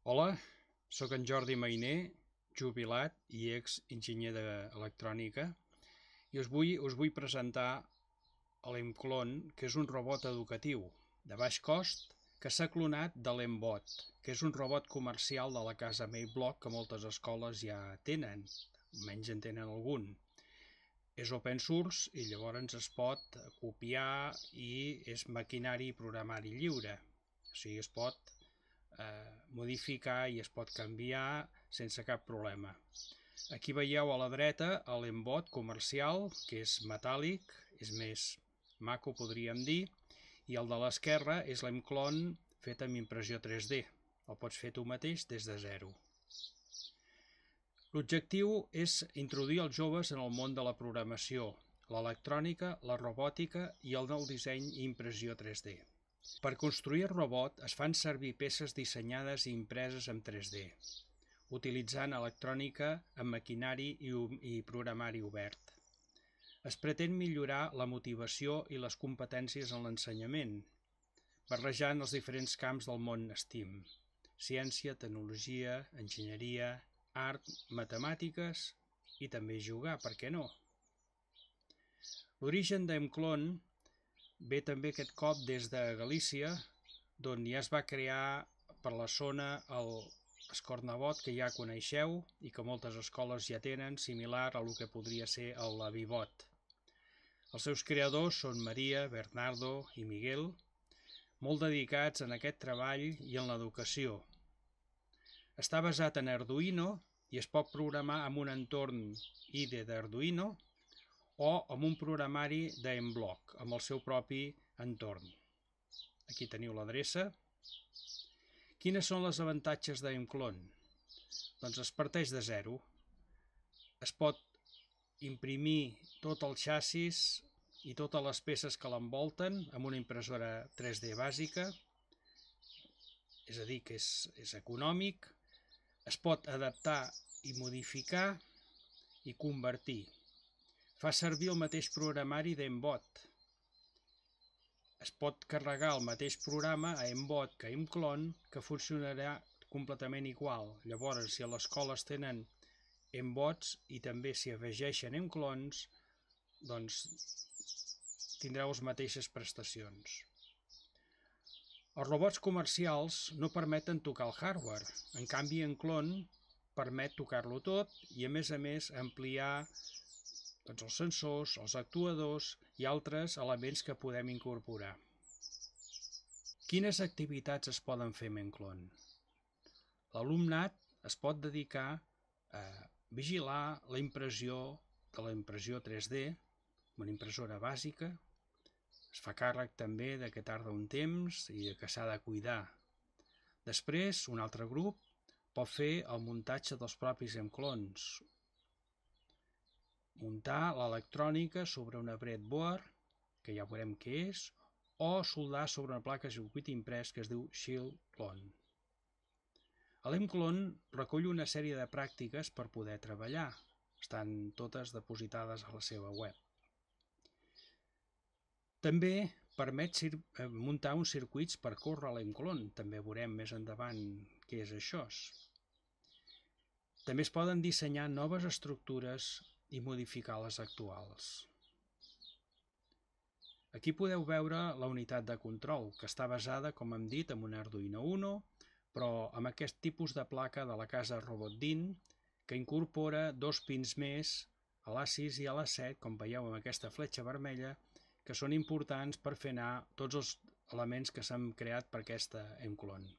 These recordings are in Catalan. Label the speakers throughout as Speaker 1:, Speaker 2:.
Speaker 1: Hola, sóc en Jordi Mainer, jubilat i ex-enginyer d'electrònica, i us vull presentar l'Emclone, que és un robot educatiu de baix cost que s'ha clonat de l'Embot, que és un robot comercial de la casa Mayblock que moltes escoles ja tenen, almenys en tenen algun. És open source i llavors es pot copiar i és maquinari i programari lliure, o sigui, es pot modificar i es pot canviar sense cap problema. Aquí veieu a la dreta l'Embot comercial, que és metàl·lic, és més maco podríem dir, i el de l'esquerra és l'Emclone fet amb impressió 3D. El pots fer tu mateix des de zero. L'objectiu és introduir els joves en el món de la programació, l'electrònica, la robòtica i el del disseny i impressió 3D. Per construir el robot es fan servir peces dissenyades i impreses en 3D, utilitzant electrònica amb maquinari i programari obert. Es pretén millorar la motivació i les competències en l'ensenyament, barrejant els diferents camps del món STEAM: ciència, tecnologia, enginyeria, art, matemàtiques i també jugar, per què no? L'origen d'Emclone ve també aquest cop des de Galícia, d'on ja es va crear per la zona el Scornabot, que ja coneixeu i que moltes escoles ja tenen, similar a el que podria ser el Vivot. Els seus creadors són Maria, Bernardo i Miguel, molt dedicats en aquest treball i en l'educació. Està basat en Arduino i es pot programar amb un entorn IDE d'Arduino o amb un programari d'Emblock, amb el seu propi entorn. Aquí teniu l'adreça. Quines són els avantatges d'Emclone? Doncs es parteix de zero. Es pot imprimir tot el xassis i totes les peces que l'envolten amb una impressora 3D bàsica, és a dir, que és econòmic. Es pot adaptar i modificar i convertir. Fa servir el mateix programari d'Embot. Es pot carregar el mateix programa a Embot que a Emclone, que funcionarà completament igual. Llavors, si a l'escola es tenen Embots i també s'hi afegeixen Emclones, doncs tindreu les mateixes prestacions. Els robots comercials no permeten tocar el hardware. En canvi, Emclone permet tocar-lo tot i, a més, ampliar els sensors, els actuadors i altres elements que podem incorporar. Quines activitats es poden fer amb Emclone? L'alumnat es pot dedicar a vigilar la impressió de la impressió 3D, una impressora bàsica. Es fa càrrec també de que tarda un temps i que s'ha de cuidar. Després, un altre grup pot fer el muntatge dels propis Emclones, muntar l'electrònica sobre una breadboard, que ja veurem què és, o soldar sobre una placa de circuit imprès que es diu Shield Clone. L'Emclone recull una sèrie de pràctiques per poder treballar. Estan totes depositades a la seva web. També permet muntar uns circuits per córrer l'Emclone. També veurem més endavant què és això. També es poden dissenyar noves estructures i modificar les actuals. Aquí podeu veure la unitat de control, que està basada, com hem dit, en un Arduino Uno, però amb aquest tipus de placa de la casa Robotdin, que incorpora 2 pins més, a l'A6 i a l'A7, com veieu amb aquesta fletxa vermella, que són importants per fer anar tots els elements que s'han creat per aquesta Emclone.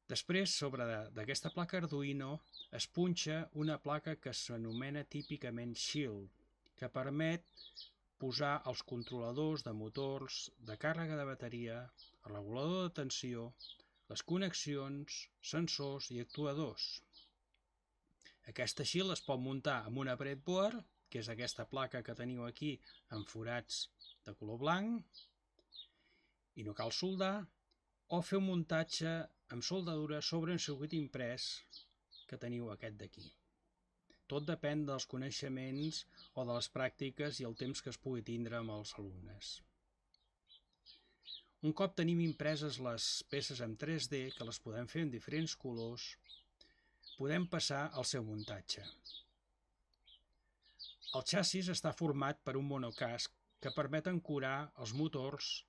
Speaker 1: Després, sobre d'aquesta placa Arduino, es punxa una placa que s'anomena típicament Shield, que permet posar els controladors de motors, de càrrega de bateria, el regulador de tensió, les connexions, sensors i actuadors. Aquesta Shield es pot muntar amb una breadboard, que és aquesta placa que teniu aquí amb forats de color blanc, i no cal soldar, o fer un muntatge amb soldadura sobre un circuit imprès que teniu aquest d'aquí. Tot depèn dels coneixements o de les pràctiques i el temps que es pugui tindre amb els alumnes. Un cop tenim impreses les peces en 3D, que les podem fer en diferents colors, podem passar al seu muntatge. El xassis està format per un monocasc que permet ancorar els motors,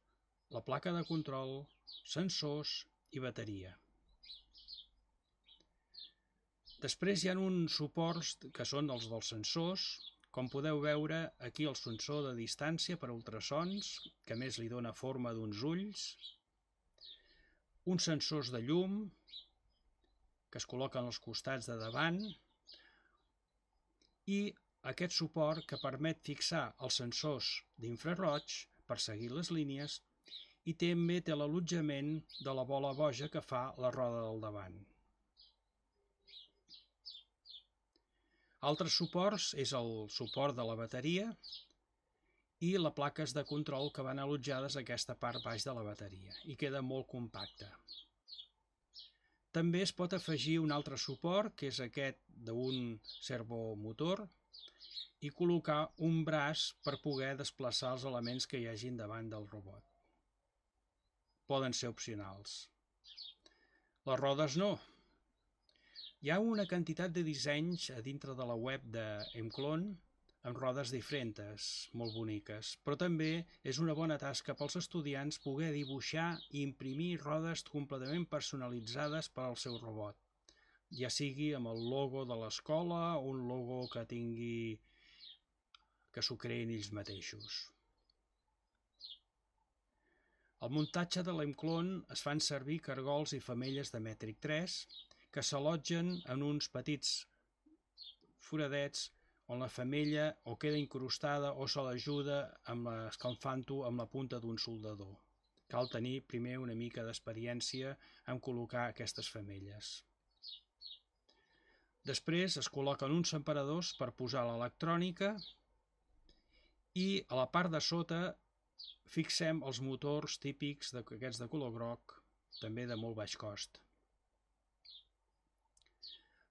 Speaker 1: la placa de control, sensors i bateria. Després hi ha uns suports que són els dels sensors. Com podeu veure, aquí el sensor de distància per ultrasons, que a més li dona forma d'uns ulls, uns sensors de llum, que es col·loquen als costats de davant, i aquest suport que permet fixar els sensors d'infraroig per seguir les línies, i també té l'allotjament de la bola boja que fa la roda del davant. Altres suports és el suport de la bateria i les plaques de control que van allotjades a aquesta part baix de la bateria i queda molt compacte. També es pot afegir un altre suport, que és aquest d'un servomotor, i col·locar un braç per poder desplaçar els elements que hi hagin davant del robot. Poden ser opcionals. Les rodes no. Hi ha una quantitat de dissenys a dintre de la web d'Emclone amb rodes diferents, molt boniques, però també és una bona tasca pels estudiants poder dibuixar i imprimir rodes completament personalitzades per al seu robot, ja sigui amb el logo de l'escola o un logo que s'ho creïn ells mateixos. Al muntatge de l'Emclone es fan servir cargols i femelles de mètric 3 que s'allotgen en uns petits foradets on la femella o queda incrustada o se l'ajuda escalfant-ho amb la punta d'un soldador. Cal tenir primer una mica d'experiència en col·locar aquestes femelles. Després es col·loquen uns separadors per posar l'electrònica i a la part de sota fixem els motors típics d'aquests de color groc, també de molt baix cost.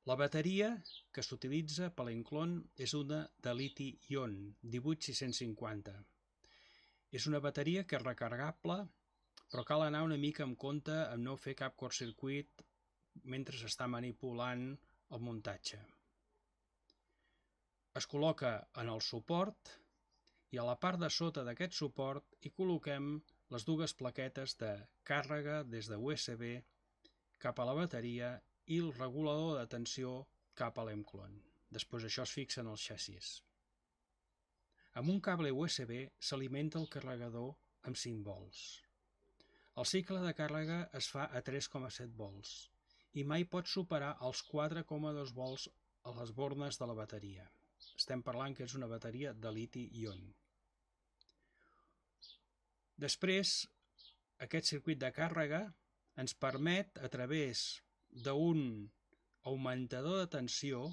Speaker 1: La bateria que s'utilitza per l'Emclone és una de liti-ion 18650. És una bateria que és recarregable, però cal anar una mica amb compte amb no fer cap curtcircuit mentre s'està manipulant el muntatge. Es col·loca en el suport i a la part de sota d'aquest suport hi col·loquem les dues plaquetes de càrrega des de USB cap a la bateria i el regulador de tensió cap a l'Emclone. Després això es fixa en el xassis. Amb un cable USB s'alimenta el carregador amb 5 volts. El cicle de càrrega es fa a 3,7 volts i mai pot superar els 4,2 volts a les bornes de la bateria. Estem parlant que és una bateria de liti-ion. Després, aquest circuit de càrrega ens permet, a través d'un augmentador de tensió,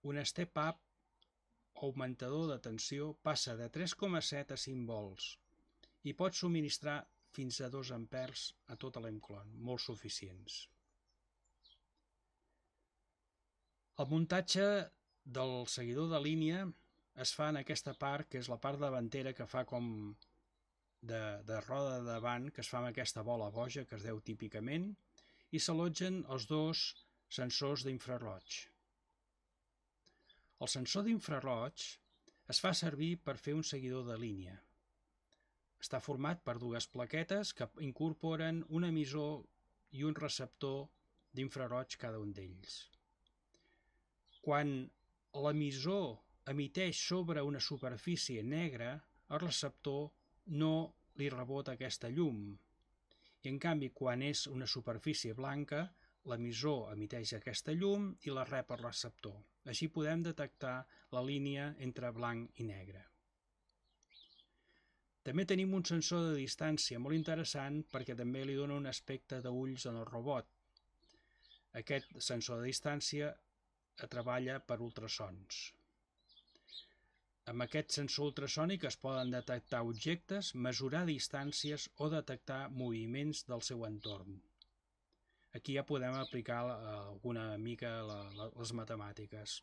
Speaker 1: un step-up augmentador de tensió passa de 3,7 a 5 volts i pot subministrar fins a 2 amperes a tota l'Emclone, molt suficients. El muntatge del seguidor de línia es fa en aquesta part, que és la part davantera que fa com de roda de davant, que es fa amb aquesta bola boja que es deu típicament, i s'allotgen els dos sensors d'infraroig. El sensor d'infraroig es fa servir per fer un seguidor de línia. Està format per dues plaquetes que incorporen un emissor i un receptor d'infraroig cada un d'ells. Quan l'emissor emiteix sobre una superfície negra, el receptor no li rebota aquesta llum. I en canvi, quan és una superfície blanca, l'emissor emiteix aquesta llum i la rep el receptor. Així podem detectar la línia entre blanc i negre. També tenim un sensor de distància molt interessant perquè també li dona un aspecte d'ulls en el robot. Aquest sensor de distància treballa per ultrasons. Amb aquest sensor ultrasònic es poden detectar objectes, mesurar distàncies o detectar moviments del seu entorn. Aquí ja podem aplicar alguna mica les matemàtiques.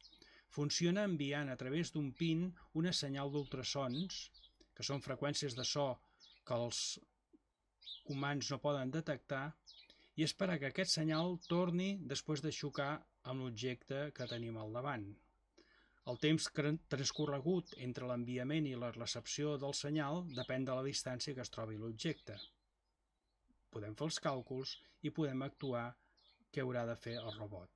Speaker 1: Funciona enviant a través d'un pin una senyal d'ultrasons, que són freqüències de so que els humans no poden detectar i esperar que aquest senyal torni després de xocar amb l'objecte que tenim al davant. El temps transcorregut entre l'enviament i la recepció del senyal depèn de la distància que es trobi l'objecte. Podem fer els càlculs i podem actuar què haurà de fer el robot.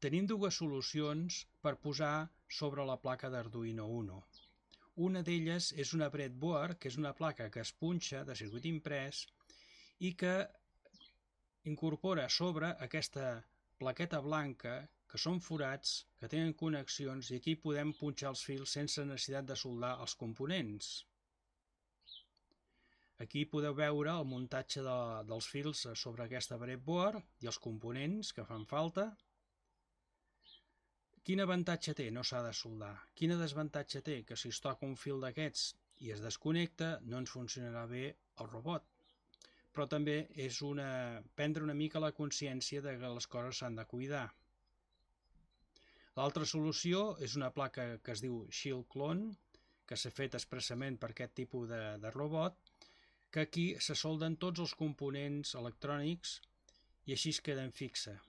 Speaker 1: Tenim dues solucions per posar sobre la placa d'Arduino Uno. Una d'elles és una breadboard, que és una placa que es punxa de circuit imprès i que incorpora sobre aquesta plaqueta blanca, que són forats, que tenen connexions, i aquí podem punxar els fils sense necessitat de soldar els components. Aquí podeu veure el muntatge dels fils sobre aquesta breadboard i els components que fan falta. Quin avantatge té? No s'ha de soldar. Quin desavantatge té? Que si es toca un fil d'aquests i es desconnecta, no ens funcionarà bé el robot. Però també és prendre una mica la consciència de que les coses s'han de cuidar. L'altra solució és una placa que es diu Shield Clone, que s'ha fet expressament per aquest tipus de robot, que aquí se solden tots els components electrònics i així es queden fixa.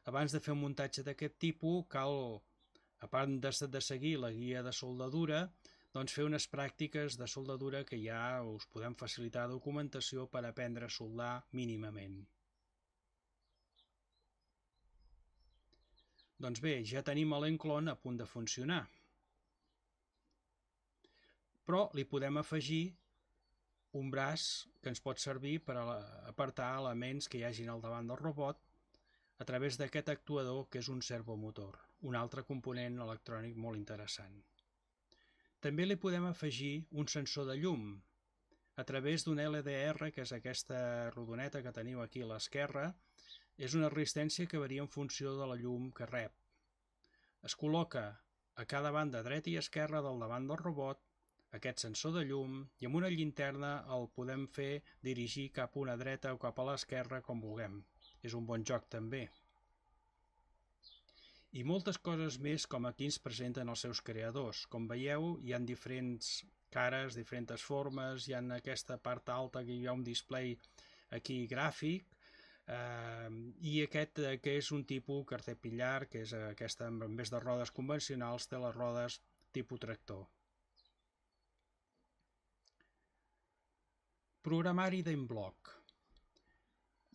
Speaker 1: Abans de fer un muntatge d'aquest tipus cal, a part de seguir la guia de soldadura, doncs fer unes pràctiques de soldadura que ja us podem facilitar documentació per aprendre a soldar mínimament. Doncs bé, ja tenim l'enclon a punt de funcionar. Però li podem afegir un braç que ens pot servir per apartar elements que hi hagin al davant del robot a través d'aquest actuador que és un servomotor, un altre component electrònic molt interessant. També li podem afegir un sensor de llum a través d'un LDR, que és aquesta rodoneta que teniu aquí a l'esquerra. És una resistència que varia en funció de la llum que rep. Es col·loca a cada banda dreta i esquerra del davant del robot aquest sensor de llum i amb una llinterna el podem fer dirigir cap a una dreta o cap a l'esquerra com vulguem. És un bon joc també. I moltes coses més com aquí ens presenten els seus creadors. Com veieu, hi ha diferents cares, diferents formes, hi ha aquesta part alta que hi ha un display aquí gràfic, i aquest que és un tipus Caterpillar, que és aquesta, en vez de rodes convencionals, té les rodes tipus tractor. Programari d'en-bloc.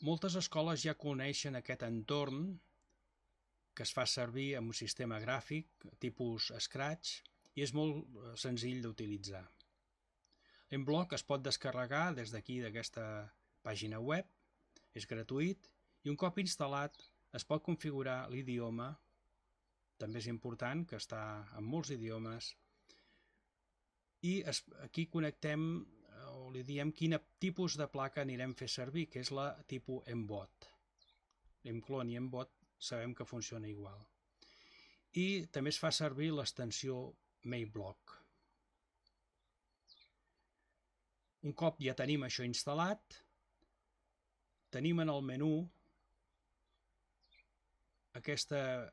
Speaker 1: Moltes escoles ja coneixen aquest entorn que es fa servir amb un sistema gràfic tipus Scratch i és molt senzill d'utilitzar. En-bloc es pot descarregar des d'aquí d'aquesta pàgina web, és gratuït i un cop instal·lat es pot configurar l'idioma, també és important que està en molts idiomes, i aquí connectem o li diem quin tipus de placa anirem a fer servir, que és la tipus Mbot. L'enclon i Mbot sabem que funciona igual. I també es fa servir l'extensió Mayblock. Un cop ja tenim això instal·lat, tenim en el menú aquesta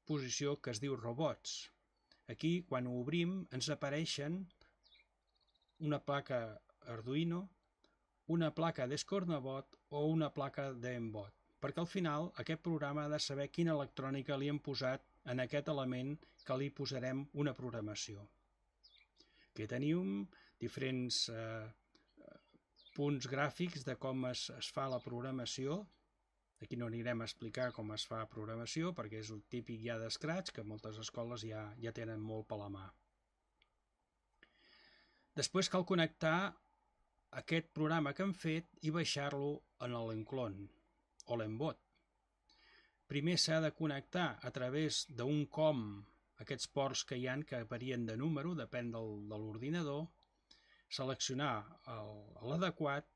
Speaker 1: posició que es diu Robots. Aquí, quan ho obrim, ens apareixen una placa Arduino, una placa d'Escornabot o una placa d'Embot, perquè al final aquest programa ha de saber quina electrònica li hem posat en aquest element que li posarem una programació. Aquí tenim diferents punts gràfics de com es fa la programació. Aquí no anirem a explicar com es fa programació perquè és el típic ja d'Scratch que moltes escoles ja tenen molt per la mà. Després cal connectar aquest programa que hem fet i baixar-lo en l'enclon o l'embot. Primer s'ha de connectar a través d'un COM, aquests ports que hi ha que varien de número, depèn de l'ordinador, seleccionar l'adequat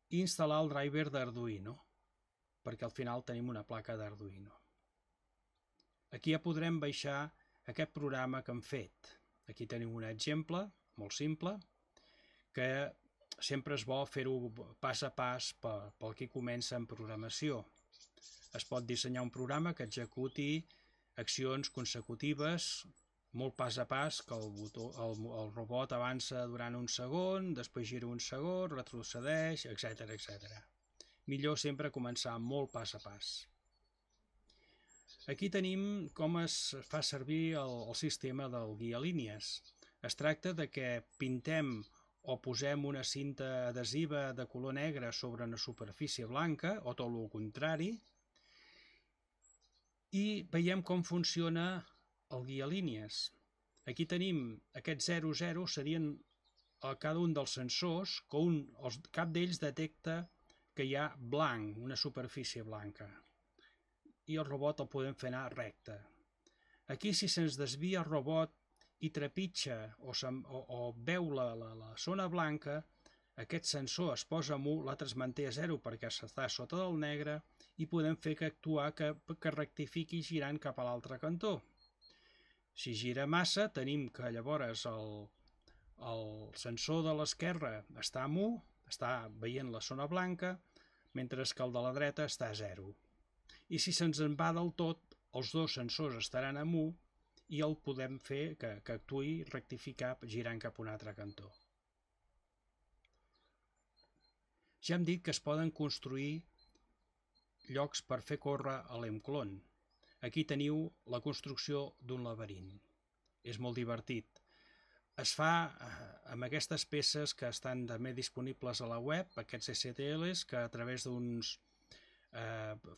Speaker 1: i instal·lar el driver d'Arduino, perquè al final tenim una placa d'Arduino. Aquí ja podrem baixar aquest programa que hem fet. Aquí tenim un exemple molt simple, que sempre és bo fer-ho pas a pas pel que comença en programació. Es pot dissenyar un programa que executi accions consecutives molt pas a pas, que el robot avança durant un segon, després gira un segon, retrocedeix, etc etc. Millor sempre començar molt pas a pas. Aquí tenim com es fa servir el sistema del guialínies. Es tracta de que pintem o posem una cinta adhesiva de color negre sobre una superfície blanca, o tot el contrari, i veiem com funciona el guialínies. Aquí tenim aquests 00, serien a cada un dels sensors, que cap d'ells detecta que hi ha blanc, una superfície blanca, i el robot el podem fer anar recte. Aquí, si se'ns desvia el robot i trepitja o veu la zona blanca, aquest sensor es posa en 1, l'altre es manté a 0 perquè està sota del negre, i podem fer que rectifiqui girant cap a l'altre cantó. Si gira massa, tenim que llavors el sensor de l'esquerra està en 1, està veient la zona blanca, mentre que el de la dreta està a 0. I si se'ns en va del tot, els dos sensors estaran en 1 i el podem fer que actuï rectificar girant cap a un altre cantó. Ja hem dit que es poden construir llocs per fer córrer a l'Emclone. Aquí teniu la construcció d'un laberint. És molt divertit. Es fa amb aquestes peces que estan també disponibles a la web, aquests STLs, que a través d'uns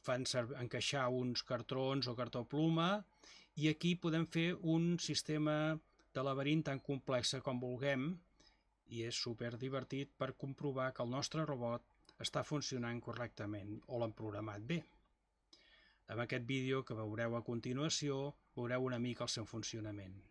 Speaker 1: fan encaixar uns cartrons o cartó pluma, i aquí podem fer un sistema de laberint tan complex com vulguem, i és super divertit per comprovar que el nostre robot està funcionant correctament o l'han programat bé. En aquest vídeo que veureu a continuació veureu una mica el seu funcionament.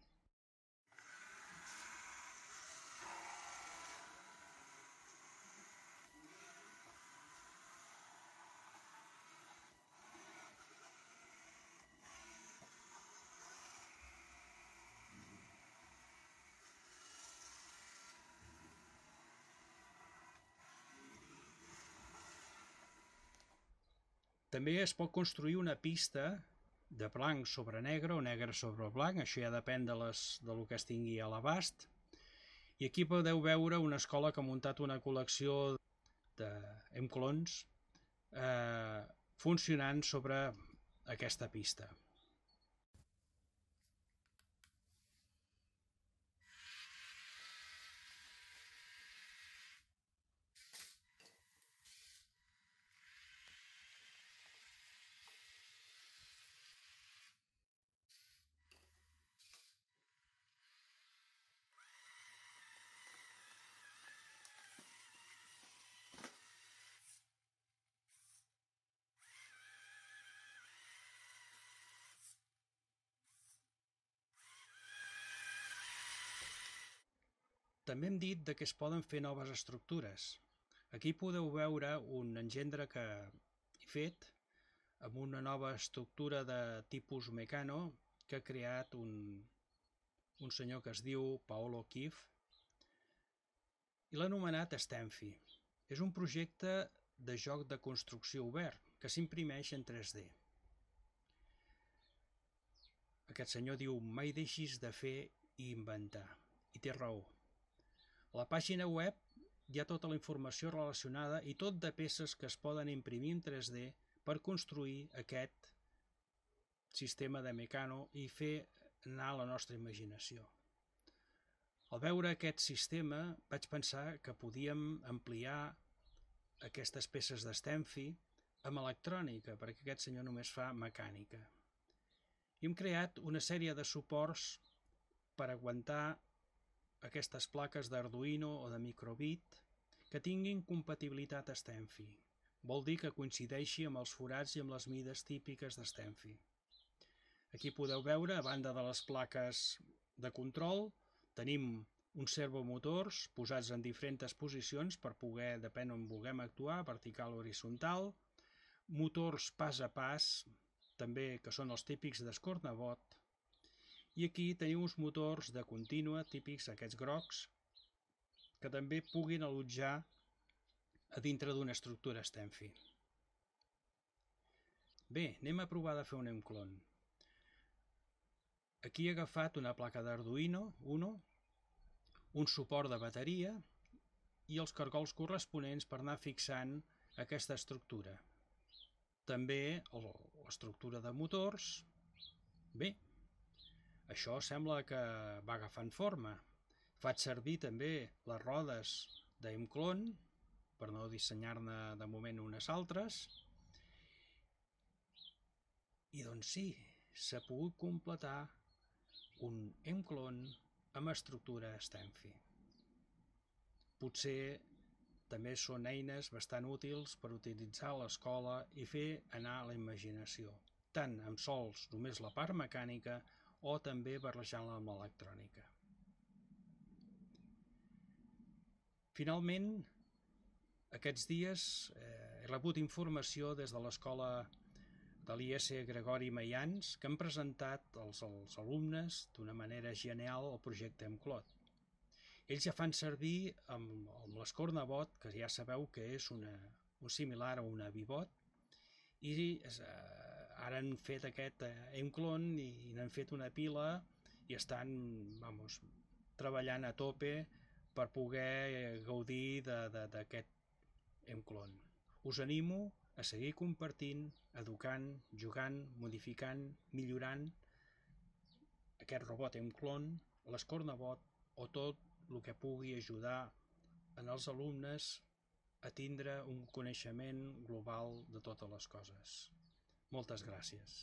Speaker 1: També es pot construir una pista de blanc sobre negre o negre sobre blanc, això ja depèn del que es tingui a l'abast. I aquí podeu veure una escola que ha muntat una col·lecció d'Emclones funcionant sobre aquesta pista. També hem dit que es poden fer noves estructures. Aquí podeu veure un engendre que he fet amb una nova estructura de tipus Meccano que ha creat un senyor que es diu Paolo Kiev i l'ha anomenat Stenfi. És un projecte de joc de construcció obert que s'imprimeix en 3D. Aquest senyor diu: mai deixis de fer i inventar. I té raó. A la pàgina web hi ha tota la informació relacionada i tot de peces que es poden imprimir en 3D per construir aquest sistema de Meccano i fer anar la nostra imaginació. Al veure aquest sistema vaig pensar que podíem ampliar aquestes peces d'Stenfi amb electrònica, perquè aquest senyor només fa mecànica. I hem creat una sèrie de suports per aguantar aquestes plaques d'Arduino o de microbit que tinguin compatibilitat a Stenfi. Vol dir que coincideixi amb els forats i amb les mides típiques de Stenfi. Aquí podeu veure, a banda de les plaques de control, tenim uns servomotors posats en diferents posicions per poder, depèn on vulguem actuar, vertical o horitzontal, motors pas a pas, també que són els típics d'escornabot, i aquí teniu uns motors de contínua típics, aquests grocs, que també puguin allotjar a dintre d'una estructura Stenfi. Bé, anem a provar de fer un Emclone. Aquí he agafat una placa d'Arduino Uno, un suport de bateria i els cargols corresponents per anar fixant aquesta estructura. També l'estructura de motors. Bé, això sembla que va agafant forma. Faig servir també les rodes d'Emclone, per no dissenyar-ne de moment unes altres. I doncs sí, s'ha pogut completar un Emclone amb estructura Stampfi. Potser també són eines bastant útils per utilitzar a l'escola i fer anar la imaginació, tant amb sols només la part mecànica o també barrejant-la amb l'electrònica. Finalment, aquests dies he rebut informació des de l'escola de l'IS Gregori Maians que han presentat als alumnes d'una manera genial el projecte Emclone. Ells ja fan servir amb l'Escornabot, que ja sabeu que és un similar a una Vivot, i ara han fet aquest Emclone i n'han fet una pila i estan treballant a tope per poder gaudir d'aquest Emclone. Us animo a seguir compartint, educant, jugant, modificant, millorant aquest robot Emclone, l'Escornabot o tot el que pugui ajudar en els alumnes a tindre un coneixement global de totes les coses. Moltes gràcies.